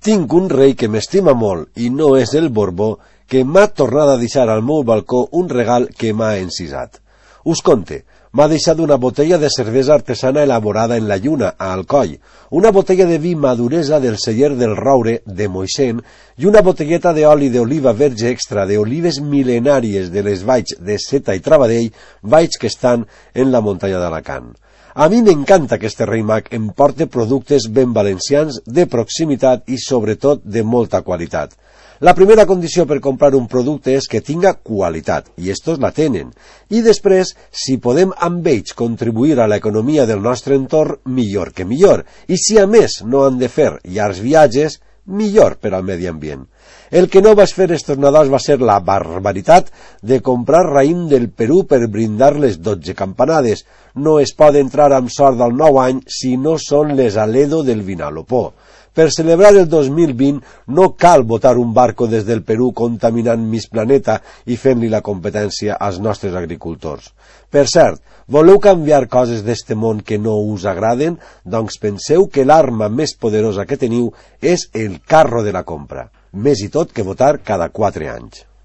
Tinc un rei que m'estima molt i no és el Borbó, que m'ha tornat a deixar al meu balcó un regal que m'ha encisat. Us conte, m'ha deixat una botella de cervesa artesana elaborada en la lluna, a Alcoi, una botella de vi maduresa del celler del Roure de Moixent i una botelleta d'oli d'oliva verge extra d'olives mil·lenàries de les valls de Seta i Travadell, valls que estan en la muntanya d'Alacant. A mi m'encanta que este rei mag em porte productes ben valencians, de proximitat i sobretot de molta qualitat. La primera condició per comprar un producte és que tinga qualitat, i estos la tenen. I després, si podem amb ells contribuir a l'economia del nostre entorn, millor que millor. I si a més no han de fer llargs viatges, millor per al medi ambient. El que no vas fer estos Nadals va ser la barbaritat de comprar raïm del Perú per brindar les 12 campanades. No es pot entrar amb sort del nou any si no són les Aledo del Vinalopó. Per celebrar el 2020 no cal botar un barco des del Perú contaminant Miss Planeta i fent-li la competència als nostres agricultors. Per cert, voleu canviar coses d'este món que no us agraden? Doncs penseu que l'arma més poderosa que teniu és el carro de la compra. Més i tot que votar cada 4 anys.